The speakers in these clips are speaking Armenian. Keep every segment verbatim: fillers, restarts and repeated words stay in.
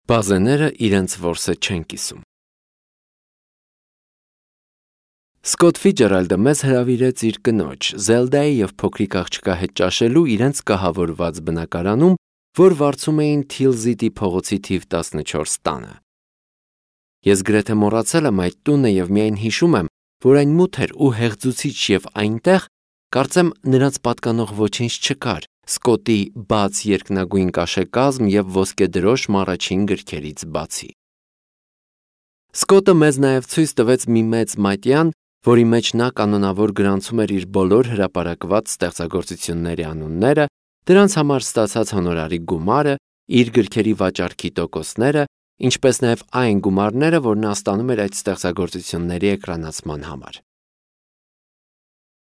Բազեները իրենց որսը չեն կիսում։ Սկոտ Ֆիցջերալդը մեզ հրավիրեց իր կնոջ Զելդայի և փոքրիկ աղջկա հետ ճաշելու իրենց կահավորված բնակարանում, որ վարձում էին Թիլզիտի փողոցի թիվ տասնչորս տանը։ Ես գրեթե մոռացել եմ այդ տունը և միայն հիշում եմ, որ այն մութ էր ու հեղձուցիչ և այնտեղ, կարծեմ, նրանց պատկանող ոչինչ չկար, Սկոտի բաց երկնագույն կաշեկազմ և ոսկեդրոշմ առաջին գրքերից բացի։ Սկոտը մեզ նաև ցույց տվեց մի մեծ մատյան, որի մեջ նա կանոնավոր գրանցում էր իր բոլոր հրապարակված ստեղծագործությունների անունները, դրանց համար ստացած հոնորարի գումարը, իր գրքերի վաճառքի տոկոսները, ինչպես նաև այն գումարները, որ նա ստանում էր այդ ստեղծագործությունների էկրանացման համար։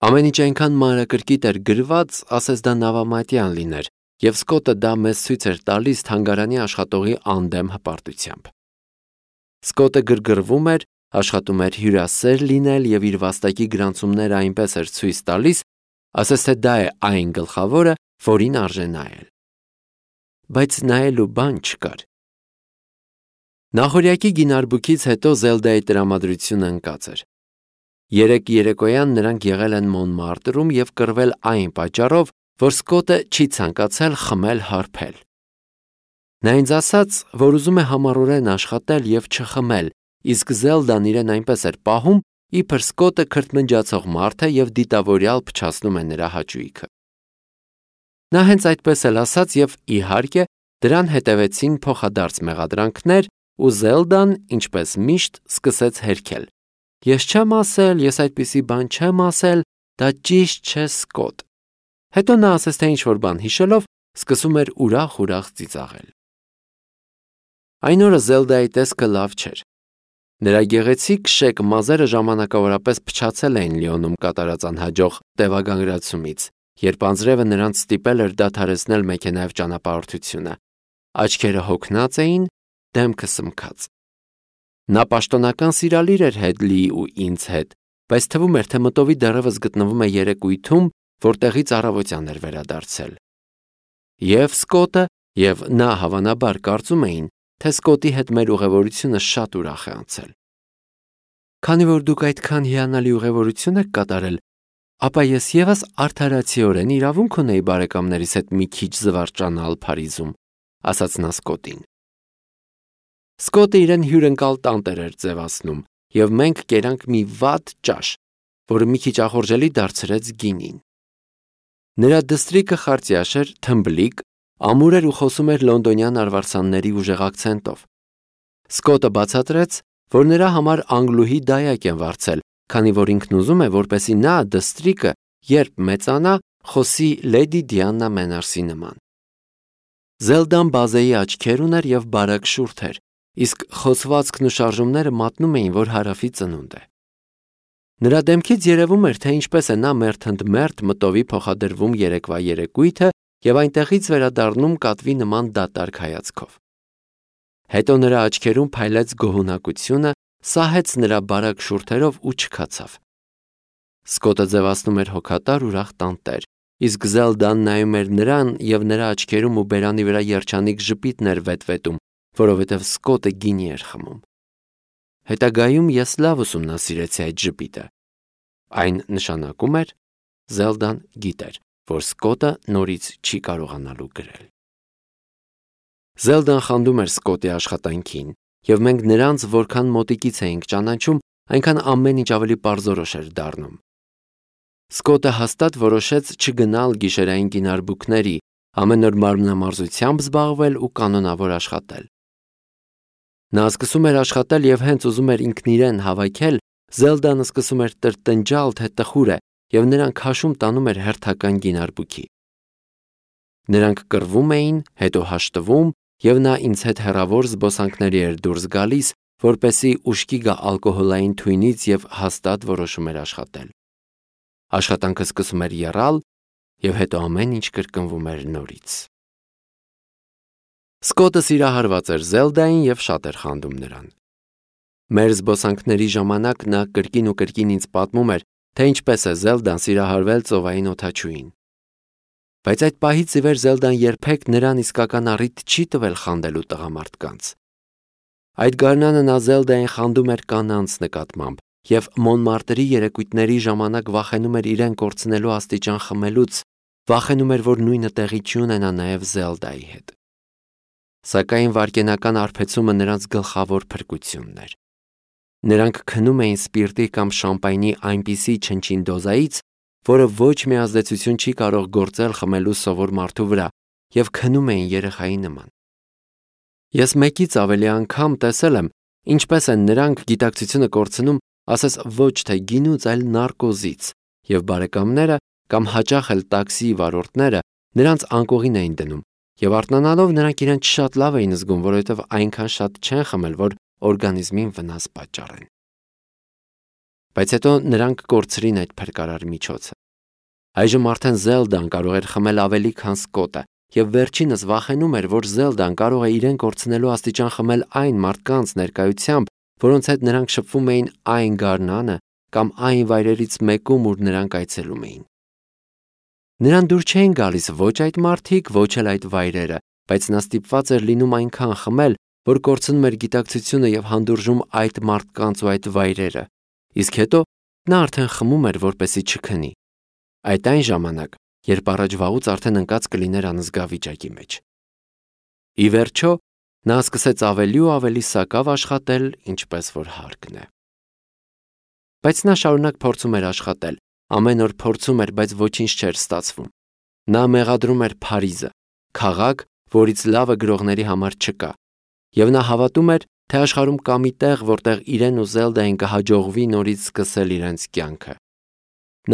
Ամեն ինչ այնքան մանրակրկիտ էր գրված, ասես դա նավամատյան լիներ, և Սկոտը դա մեզ ցույց էր տալիս թանգարանի աշխատողի անդեմ հպարտությամբ։ Սկոտը գրգռվում էր, աշխատում էր հյուրասեր լինել և իր վաստակի գրանցումները այնպես էր ցույց տալիս, ասես թե դա է այն գլխավորը, որին արժե նայել։ Բայց նայելու բան չկար։ Նախօրյակի գինարբուքից հետո Զելդայի տրամադրությունը ընկած էր։ Երեկ երեկոյան նրանք եղել են Մոնմարտրում և կռվել այն պատճառով, որ Սկոտը չի ցանկացել խմել-հարբել։ Նա ինձ ասաց, որ ուզում է համառորեն աշխատել և չխմել, իսկ Զելդան իրեն այնպես էր պահում, իբր Սկոտը քրթմնջացող մարդ է և դիտավորյալ փչացնում է նրա հաճույքը։ Նա հենց այդպես էլ ասաց և, իհարկե, դրան հետևեցին փոխադարձ մեղադրանքներ, ու Զելդան, ինչպես միշտ, սկսեց հերքել. «Ես չեմ ասել, ես այդպիսի բան չեմ ասել, դա ճիշտ չէ, Սկոտ»։ Հետո նա, ասես թե ինչ-որ բան հիշելով, սկսում էր ուրախ-ուրախ ծիծաղել։ Այն օրը Զելդայի տեսքը լավ չէր։ Նրա գեղեցիկ շեք մազերը ժամանակավորապես փչացել էին Լիոնում կատարած անհաջող տևագանրացումից, երբ անձրևը նրանց ստիպել էր դադարեցնել մեքենայով ճանապարհորդությունը։ Աչքերը հոգնած էին, դեմքը սմքած։ Նա պաշտոնական սիրալիր էր Հեդլիի ու ինձ հետ, բայց թվում էր, թե մտովի դեռևս գտնվում է երեկույթում, որտեղից առավոտյան էր վերադարձել։ Եվ Սկոտը, և նա հավանաբար կարծում էին, թե Սկոտի հետ մեր ուղևորությունը շատ ուրախ է անցել։ Քանի որ դուք այդքան հիանալի ուղևորություն եք կատարել, ապա ես ևս արդարացիորեն իրավունք ունեի բարեկամներիս հետ մի քիչ զվարճանալ Փարիզում, ասաց նա Սկոտին։ Սկոտը իրեն հյուրընկալ տանտեր էր ձևացնում, և մենք կերանք մի վատ ճաշ, որը մի քիչ ախորժելի դարձրեց գինին։ Նրա դստրիկը խարծյաշ էր, թմբլիկ, ամուր էր ու խոսում էր լոնդոնյան արվարձանների ուժեղ ակցենտով։ Սկոտը բացատրեց, որ նրա համար անգլուհի դայակ են վարձել, քանի որ ինքն ուզում է, որպեսզի նա, դստրիկը, երբ մեծանա, խոսի լեդի Դիանա Մենարսի նման։ Զելդան բազեի աչքեր ուներ և բարակ շուրթ էր, իսկ խոսվածքն ու շարժումները մատնում էին, որ հարավի ծնունդ է։ Նրա դեմքից երևում էր, թե ինչպես է նա մերթ ընդ մերթ մտովի փոխադրվում երեկվա երեկույթը և այնտեղից վերադառնում կատվի նման դատարկ հայացքով։ Հետո նրա աչքերում փայլեց գոհունակությունը, սահեց նրա բարակ շուրթերով ու չքացավ։ Սկոտը ձևացնում էր հոգատար ուրախ տանտեր, իսկ Զելդան նայում էր նրան և նրա աչքերում ու բերանի վրա երջանիկ ժպիտն էր վետվետում, որովհետև Սկոտը գինի էր խմում։ Հետագայում ես լավ ուսումնասիրեցի այդ ժպիտը։ Այն նշանակում էր, Զելդան գիտեր, որ Սկոտը նորից չի կարողանալու գրել։ Զելդան խանդում էր Սկոտի աշխատանքին, և մենք նրանց որքան մոտիկից էինք ճանաչում, այնքան ամեն ինչ ավելի պարզորոշ էր դառնում։ Սկոտը հաստատ որոշեց չգնալ գիշերային գինարբուքների, ամեն օր մարմնամարզությամբ զբաղվել ու կանոնավոր աշխատել։ Նա սկսում էր աշխատել և հենց ուզում էր ինքն իրեն հավաքել, Զելդան սկսում էր տրտնջալ, թե տխուր է, և նրան քաշում տանում էր հերթական գինարբուքի։ Նրանք կռվում էին, հետո հաշտվում, և նա ինձ հետ հեռավոր զբոսանքների էր դուրս գալիս, որպեսզի ուշքի գա ալկոհոլային թույնից և հաստատ որոշում էր աշխատել։ Աշխատանքը սկսում էր եռալ, և հետո ամեն ինչ կրկնվում էր նորից։ Սկոտը սիրահարված էր Զելդային և շատ էր խանդում նրան։ Մեր զբոսանքների ժամանակ նա կրկին ու կրկին ինձ պատմում էր, թե ինչպես է Զելդան սիրահարվել ծովային օդաչուին։ Բայց այդ պահից ի վեր Զելդան երբեք նրան իսկական առիթ չի տվել խանդելու տղամարդկանց։ Այդ գարնանը նա Զելդային խանդում էր կանանց նկատմամբ և Մոնմարտրի երեկույթների ժամանակ վախենում էր իրեն կորցնելու աստիճան խմելուց, վախենում էր, որ նույնը տեղի չի ունենա նաև Զելդայի հետ։ Սակայն վայրկենական արբեցումը նրանց գլխավոր փրկությունն էր։ Նրանք քնում էին սպիրտի կամ շամպայնի այնպիսի չնչին դոզայից, որը ոչ մի ազդեցություն չի կարող գործել խմելու սովոր մարդու վրա, և քնում էին երեխայի նման։ Ես մեկից ավելի անգամ տեսել եմ, ինչպես են նրանք գիտակցությունը կորցնում, ասես ոչ թե գինուց, այլ նարկոզից, և բարեկամները կամ հաճախ էլ տաքսիի վարորդները նրանց անկողին էին դնում, և արթնանալով նրանք իրենց շատ լավ էին զգում, որովհետև այնքան շատ չեն խմել, որ օրգանիզմին վնաս պատճառեն։ Բայց հետո նրանք կորցրին այդ փրկարար միջոցը։ Այժմ արդեն Զելդան կարող էր խմել ավելի, քան Սկոտը, և վերջինս վախենում էր, որ Զելդան կարող է իրեն կորցնելու աստիճան խմել այն մարդկանց ներկայությամբ, որոնց հետ նրանք շփվում էին այն գարնանը կամ այն վայրերից մեկում, ուր նրանք այցելում էին։ Նրան դուր չէին գալիս ոչ այդ մարդիկ, ոչ էլ այդ վայրերը, բայց նա ստիպված էր լինում այնքան խմել, որ կորցնում էր գիտակցությունը և հանդուրժում այդ մարդկանց ու այդ վայրերը, իսկ հետո նա արդեն խմում էր, որպեսզի չքնի։ Այդ այն ժամանակ, երբ առաջվաղուց արդեն ընկած կլիներ անզգա վիճակի մեջ։ Ի վերջո, նա սկսեց ավելի ու ավելի սակավ աշխատել, ինչպես որ հարկն է։ Բայց նա շարունակ փորձում էր աշխատել, ամեն օր փորձում էր, բայց ոչինչ չէր ստացվում։ Նա մեղադրում էր Փարիզը, քաղաք, որից լավը գրողների համար չկա, և նա հավատում էր, թե աշխարհում կա մի տեղ, որտեղ իրեն ու Զելդային կհաջողվի նորից սկսել իրենց կյանքը։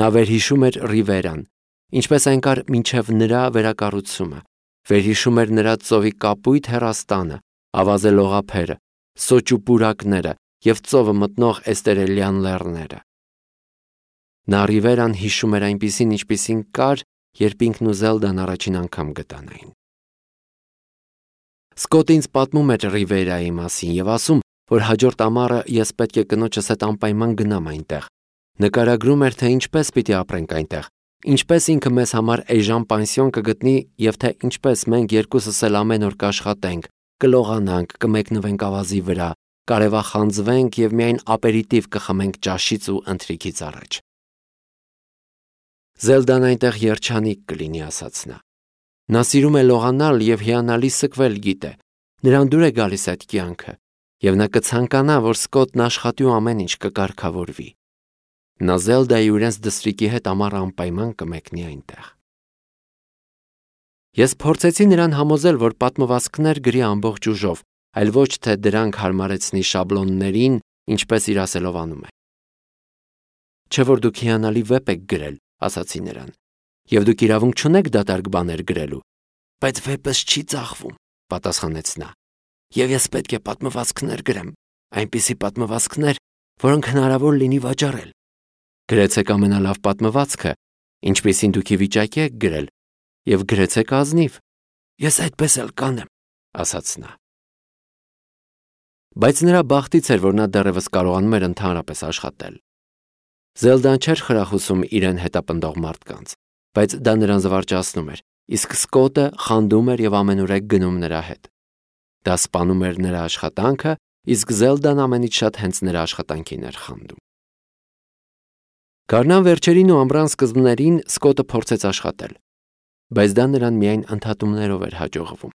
Նա վերհիշում էր Ռիվերան, ինչպես այն կար մինչև նրա վերակառուցումը, վերհիշում էր նրա ծովի կապույտ հեռաստանը, ավազե լողափերը, սոճու պուրակները և ծովը մտնող էստերելյան լեռները։ Նա Ռիվերան հիշում էր այնպիսին, ինչպիսին կար, երբ ինքն ու Զելդան առաջին անգամ գտանային։ Սկոտը ինձ պատմում էր Ռիվերայի մասին և ասում, որ հաջորդ ամառը ես պետք է կնոջս հետ անպայման գնամ այնտեղ։ Նկարագրում էր, թե ինչպես պիտի ապրենք այնտեղ, ինչպես ինքը մեզ համար էժան պանսիոն կգտնի և թե ինչպես մենք երկուսս էլ ամեն օր կաշխատենք, կլողանանք, կմեկնվենք ավազի վրա, կարևախանձվենք և միայն ապերիտիվ կխմենք ճաշից ու ընթրիքից առաջ։ Զելդան այնտեղ երջանիկ կլինի, ասաց նա։ Նա սիրում է լողանալ և հիանալի սգվել գիտե, նրան դուր է գալիս այդ կյանքը, և նա կցանկանա, որ Սկոտն աշխատի ու ամեն ինչ կկարգավորվի։ Նա Զելդայի ու իրենց դստրիկի հետ ամառ անպայման կմեկնի այնտեղ։ Ես փորձեցի նրան համոզել, որ պատմվածքներ գրի ամբողջ ուժով, այլ ոչ թե դրանք հարմարեցնի շաբլոններին, ինչպես իր ասելով անում է։ Չէ՞ որ դուք հիանալի վեպ եք գրել, ասացի նրան, և դուք իրավունք չունեք դատարկ բաներ գրելու։ Բայց վեպս չի ծախվում, պատասխանեց նա, և ես պետք է պատմվածքներ գրեմ, այնպիսի պատմվածքներ, որոնք հնարավոր լինի վաճառել։ Գրեցեք ամենալավ պատմվածքը, ինչպիսին դուք ի վիճակի եք գրել, և գրեցեք ազնիվ։ Ես այդպես էլ կանեմ, ասաց նա։ Բայց նրա բախտից էր, որ նա դեռևս կարողանում էր ընդհանրապես աշխատել։ Զելդան չէր խրախուսում իրեն հետապնդող մարդկանց, բայց դա նրան զվարճացնում էր, իսկ Սկոտը խանդում էր և ամենուրեք գնում նրա հետ։ Դա սպանում էր նրա աշխատանքը, իսկ Զելդան ամենից շատ հենց նրա աշխատանքին էր խանդում։ Գարնան վերջերին ու ամռան սկզբներին Սկոտը փորձեց աշխատել, բայց դա նրան միայն ընդհատումներով էր հաջողվում։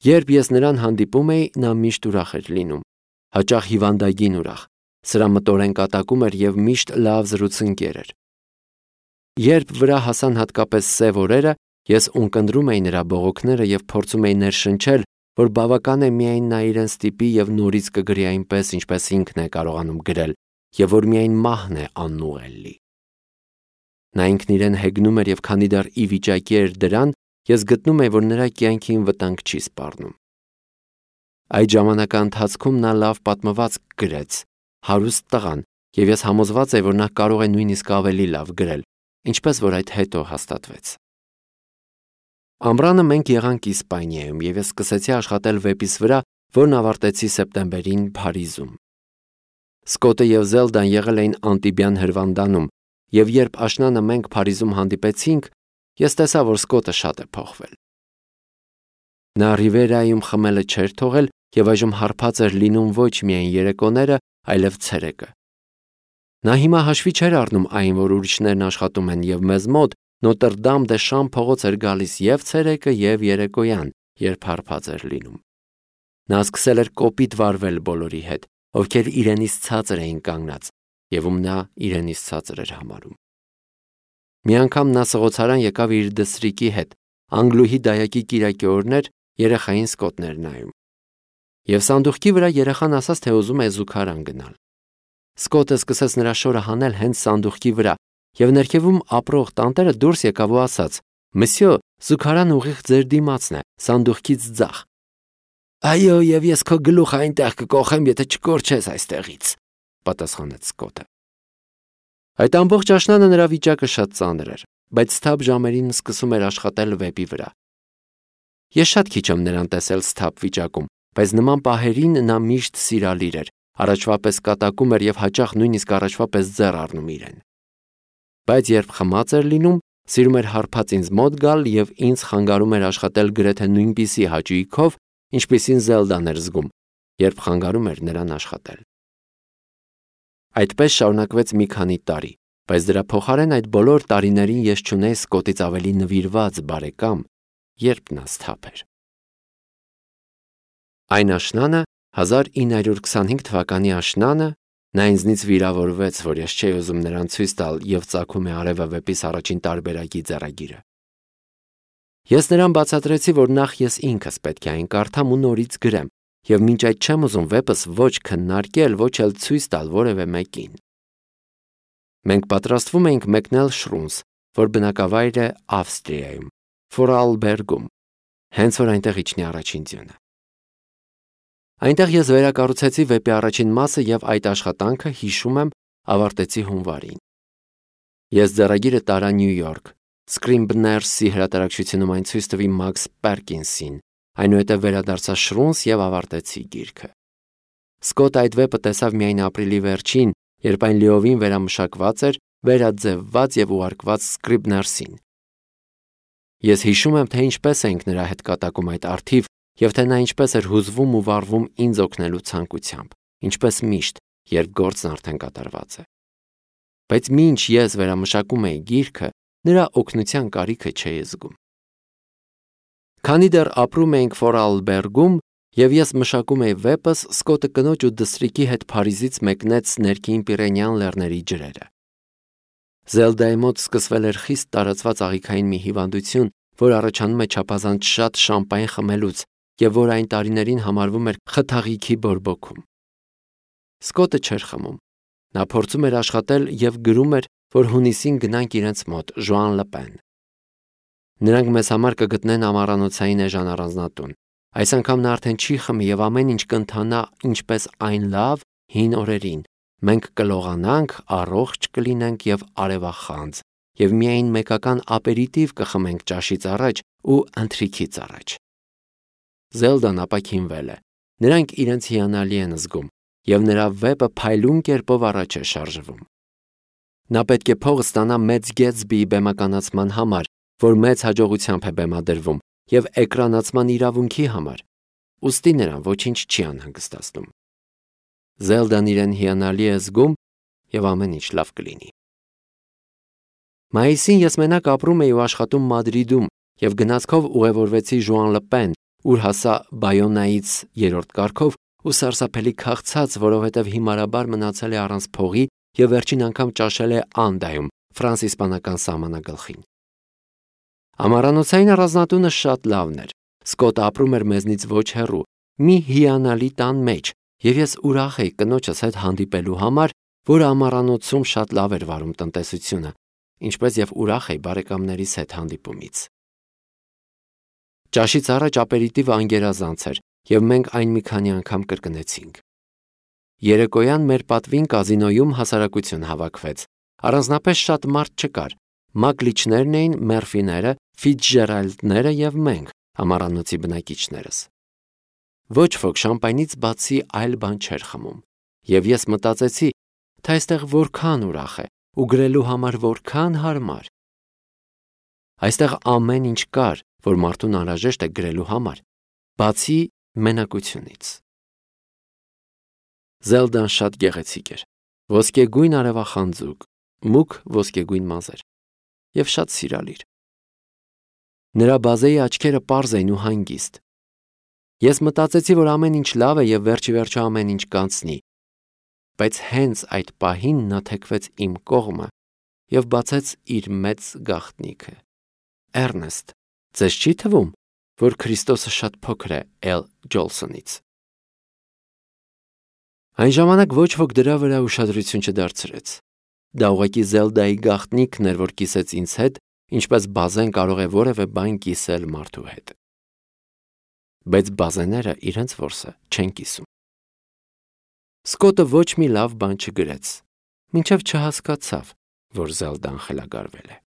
Երբ ես նրան հանդիպում էի, նա միշտ ուրախ էր լինում, հաճախ հիվանդագին ուրախ, սրամտորեն կատակում էր և միշտ լավ զրուցընկեր էր։ Երբ վրա հասան հատկապես սև օրերը, ես ունկնդրում էի նրա բողոքները և փորձում էի ներշնչել, որ բավական է միայն նա իրեն ստիպի և նորից կգրի այնպես, ինչպես ինքն է կարողանում գրել, և որ միայն մահն է անուղելի։ Նա ինքն իրեն հեգնում էր և քանի դեռ ի վիճակի էր դրան, ես գտնում էի, որ նրա կյանքին վտանգ չի սպառնում։ Այդ ժամանակահատվածում նա լավ պատմվածք գրեց, հարուստ տղան, և ես համոզված էի, որ նա կարող է նույնիսկ ավելի լավ գրել, ինչպես որ այդ հետո հաստատվեց։ Ամռանը մենք եղանք Իսպանիայում, և ես սկսեցի աշխատել վեպիս վրա, որն ավարտեցի սեպտեմբերին Փարիզում։ Սկոտը և Զելդան եղել էին Անտիբյան հրվանդանում, և երբ աշնանը մենք Փարիզում հանդիպեցինք, ես տեսա, որ Սկոտը շատ է փոխվել։ Նա Ռիվերայում խմելը չէր թողել եւ այժմ հարբած էր լինում ոչ միայն երեկոները, այլև ցերեկը։ Նա հիմա հաշվի չէր առնում այն, որ ուրիշներն աշխատում են եւ մեզ մոտ Նոտրդամ դե Շամ փողոց էր գալիս եւ ցերեկը եւ երեկոյան, երբ հարբած էր լինում։ Նա սկսել էր կոպիտ վարվել բոլորի հետ, ովքեր իրենից ցածր էին կանգնած, եւ ում նա իրենից ցածր էր համարում։ Մի անգամ նա սղոցարան եկավ իր դսրիկի հետ, Անգլուհի դայակի կիրակի օրներ երեխային սկոտներ նայում։ Եվ սանդուղքի վրա երեխան ասաց, թե ուզում է զուգարան գնալ։ Սկոտը սկսեց նրա շորը հանել հենց սանդուղքի վրա, եւ ներքևում ապրող տանտերը դուրս եկավ ու ասաց. «Մսյո, զուգարան ուղիղ ձեր դիմացն է, սանդուղքից ձախ»։ «Այո, եւ ես քո գլուխը այնտեղ կկոխեմ, եթե չկորչես այստեղից», պատասխանեց Սկոտը։ Այդ ամբողջ աշնանը նրա վիճակը շատ ծանր էր, բայց սթափ ժամերին սկսում էր աշխատել վեպի վրա։ Ես շատ քիչ եմ նրան տեսել սթափ վիճակում, բայց նման պահերին նա միշտ սիրալիր էր, առաջվա պես կատակում էր եւ հաճախ նույնիսկ առաջվա պես ձեռ առնում իրեն։ Բայց երբ խմած էր լինում, սիրում էր հարբած ինձ մոտ գալ եւ ինձ խանգարում էր աշխատել գրեթե նույնպիսի հաճույքով, ինչպիսին Զելդան էր զգում, երբ խանգարում էր նրան աշխատել։ Այդպես շարունակվեց մի քանի տարի, բայց դրա փոխարեն այդ բոլոր տարիներին ես չունեի Սկոտից ավելի նվիրված բարեկամ, երբ նա սթափ էր։ Այն աշնանը, հազար ինը հարյուր քսանհինգ թվականի աշնանը, նա ինձնից վիրավորվեց, որ ես չէի ուզում նրան ցույց տալ եւ ծագում է արևը վեպիս առաջին տարբերակի ձեռագիրը։ Ես նրան բացատրեցի, որ նախ ես ինքս պետք է այն կարդամ ու նորից գրեմ, եւ մինչ այդ չեմ ուզում վեպս ոչ քննարկել, ոչ էլ ցույց տալ որևէ մեկին։ Մենք պատրաստվում էինք մեկնել Շրունս, որ բնակավայր է Ավստրիայում, Ֆորալբերգում, հենց որ այնտեղ իջնի առաջին ձյունը։ Այնտեղ ես վերակառուցեցի վեպի առաջին մասը եւ այդ աշխատանքը, հիշում եմ, ավարտեցի հունվարին։ Ես ձեռագիրը տարա Նյու Յորք, Scribner's-ի հրատարակչությունում այն ցույց տվի Մաքս Պերկինսին, այնուհետև վերադարձա Շրունս եւ ավարտեցի գիրքը։ Սկոտը այդ վեպը տեսավ միայն ապրիլի վերջին, երբ այն լիովին վերամշակված էր, վերաձևված եւ ուղարկված Scribner's-ին։ Ես հիշում եմ, թե ինչպես էինք նրա հետ կատակում այդ արթիվ եւ թե նա ինչպես էր հուզվում ու վառվում ինձ օգնելու ցանկությամբ, ինչպես միշտ, երբ գործն արդեն կատարված է։ Բայց մինչ ես վերամշակում էի գիրքը, նրա օգնության կարիքը չէի զգում։ Քանի դեռ ապրում էինք Ֆորալբերգում եւ ես մշակում էի վեպս, Սկոտը կնոջ ու դստրիկի հետ Փարիզից մեկնեց ներքին Պիրենեան լեռների ջրերը։ Զելդայի մոտ սկսվել էր խիստ տարածված աղիքային մի հիվանդություն, որ առաջանում է չափազանց շատ շամպայն խմելուց եւ որ այն տարիներին համարվում էր խթաղիքի բորբոքում։ Սկոտը չէր խմում։ Նա փորձում էր աշխատել եւ գրում էր, որ հունիսին գնանք իրենց մոտ, Ժուան Լպեն։ Նրանք մեզ համար կգտնեն ամառանոցային էժան առանձնատուն։ Այս անգամ նա արդեն չի խմի եւ ամեն ինչ կընթանա ինչպես այն լավ հին օրերին։ Մենք կլողանանք, առողջ կլինենք եւ արևախանձ, եւ միայն մեկական ապերիտիվ կխմենք ճաշից առաջ ու ընթրիքից առաջ։ Զելդան ապաքինվել է։ Նրանք իրենց հիանալի են զգում, եւ նրա վեպը փայլուն կերպով առաջ է շարժվում։ Նա պետք է փող ստանա մեծ Գետսբիի բեմականացման համար, որ մեծ հաջողությամբ է բեմադրվում, եւ էկրանացման իրավունքի համար։ Ուստի նրան ոչինչ չի անհանգստացնում։ Զելդան իրեն հիանալի է զգում եւ ամեն ինչ լավ կլինի։ Մայիսին ես մենակ ապրում էի ու աշխատում Մադրիդում եւ գնացքով ուղևորվեցի Ժուան Լպեն, ուր հասա Բայոնայից երրորդ կարգով ու սարսափելի քաղցած, որովհետեւ հիմարաբար մնացել է առանց փողի եւ վերջին անգամ ճաշել է Անդայում, ֆրանս-իսպանական սահմանագլխին։ Ամառանոցային առանձնատունը շատ լավն էր։ Սկոտը ապրում էր մեզնից ոչ հեռու, մի հիանալի տան մեջ, եւ ես ուրախ էի կնոջս հետ հանդիպելու համար, որը ամառանոցում շատ լավ էր վարում տնտեսությունը, ինչպես եւ ուրախ էի բարեկամներիս հետ հանդիպումից։ Ճաշից առաջ ապերիտիվը անգերազանց էր, եւ մենք այն մի քանի անգամ կրկնեցինք։ Երեկոյան մեր պատվին կազինոյում հասարակություն հավաքվեց։ Առանձնապես շատ մարդ չկար։ Մակլիչներն էին, Մերֆիները, Ֆիցջերալդները եւ մենք, ամառանոցի բնակիչներս։ Ոչ ոք շամպայնից բացի այլ բան չէր խմում, եւ ես մտածեցի, թե այստեղ որքան ուրախ է ու գրելու համար որքան հարմար։ Այստեղ ամեն ինչ կար, որ մարդուն անհրաժեշտ է գրելու համար, բացի մենակությունից։ Զելդան շատ գեղեցիկ էր, ոսկեգույն արևախանձուկ, մուգ ոսկեգույն մազեր և շատ սիրալիր։ Նրա բազեի աչքերը պարզ էին ու հանգիստ։ Ես մտածեցի, որ ամեն ինչ լավ է և վերջիվերջո ամեն ինչ կանցնի, բայց հենց այդ պահին նա թեքվեց իմ կողմը և բացեց իր մեծ գաղտնիքը։ Էռնեստ, ձեզ չի թվում, որ Քրիստոսը շատ փոքր է Էլ Ջոլսոնից։ Այն ժամանակ ոչ ոք դրա վրա ուշադրություն չդարձրեց։ Դա ուղղակի Զելդայի գաղտնիքն էր, որ կիսեց ինձ հետ, ինչպես բազեն կարող է որևէ բան կիսել մարդու հետ։ Բայց բազեները իրենց որսը չեն կիսում։ Սկոտը ոչ մի լավ բան չգրեց, մինչև չհասկացավ, որ Զելդան խելագարվել է։